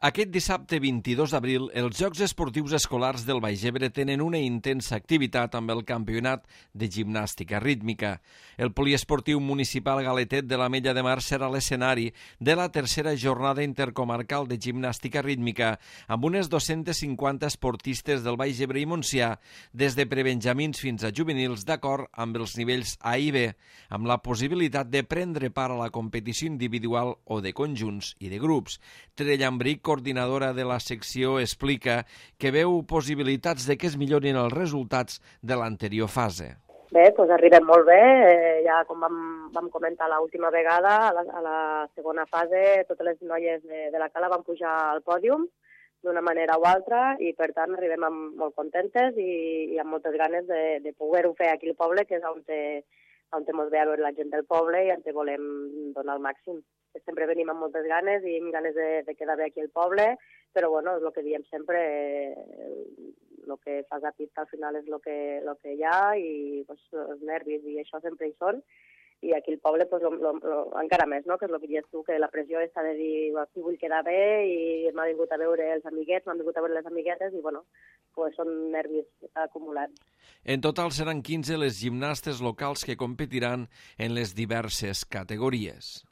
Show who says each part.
Speaker 1: Aquest dissabte 22 d'abril, els Jocs Esportius Escolars del Baix Ebre tenen una intensa activitat amb el Campionat de Gimnàstica Rítmica. El Poliesportiu Municipal Galetet de l'Ametlla de Mar serà l'escenari de la tercera jornada intercomarcal de gimnàstica rítmica, amb unes 250 esportistes del Baix Ebre i Montsià, des de prebenjamins fins a juvenils, d'acord amb els nivells A i B, amb la possibilitat de prendre part a la competició individual o de conjunts i de grups. Tere Llambric, coordinadora de la secció, explica que veu possibilitats de que es millorin els resultats de l'anterior fase.
Speaker 2: Bé, doncs arribem molt bé. Ja com vam comentar l'última vegada, a la segona fase, totes les noies de la Cala van pujar al pòdium d'una manera o altra i, per tant, arribem molt contentes i amb moltes ganes de poder-ho fer aquí al poble, que és on ens ve a veure la gent del poble i on volem donar el màxim. Sempre venim amb moltes ganes i amb ganes de quedar bé aquí al poble, però bueno, és el que diem sempre, el que fas a pista al final és el que hi ha i pues, els nervis i això sempre hi són. I aquí al poble pues, encara més, no? Que és el que dius tu, que la pressió està de dir aquí vull quedar bé i m'ha vingut a veure els amiguets, m'han vingut a veure les amiguetes i bueno, pues, són nervis acumulats.
Speaker 1: En total seran 15 les gimnastes locals que competiran en les diverses categories.